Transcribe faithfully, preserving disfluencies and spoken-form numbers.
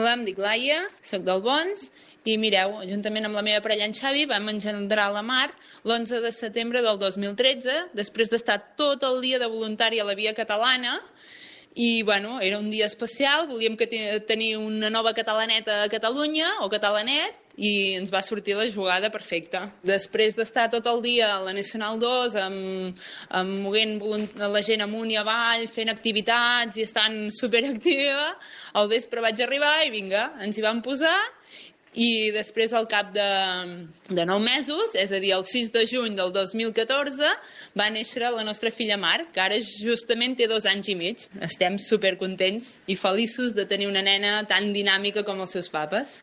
Hola, em dic Laia, soc del Bons i mireu, juntament amb la meva parella en Xavi vam engendrar la Mar l'onze de setembre del dos mil tretze, després d'estar tot el dia de voluntari a la Via Catalana. I bueno, era un dia especial, volíem que tenir una nova catalaneta a Catalunya, o catalanet, i ens va sortir la jugada perfecta. Després d'estar tot el dia a la Nacional dos, amb, amb moguent la gent amunt i avall, fent activitats i estant superactiva, al vespre vaig arribar i vinga, ens hi vam posar. I després, al cap de, de nou mesos, és a dir, el sis de juny del dos mil catorze, va néixer la nostra filla Mar, que ara justament té dos anys i mig. Estem supercontents i feliços de tenir una nena tan dinàmica com els seus papes.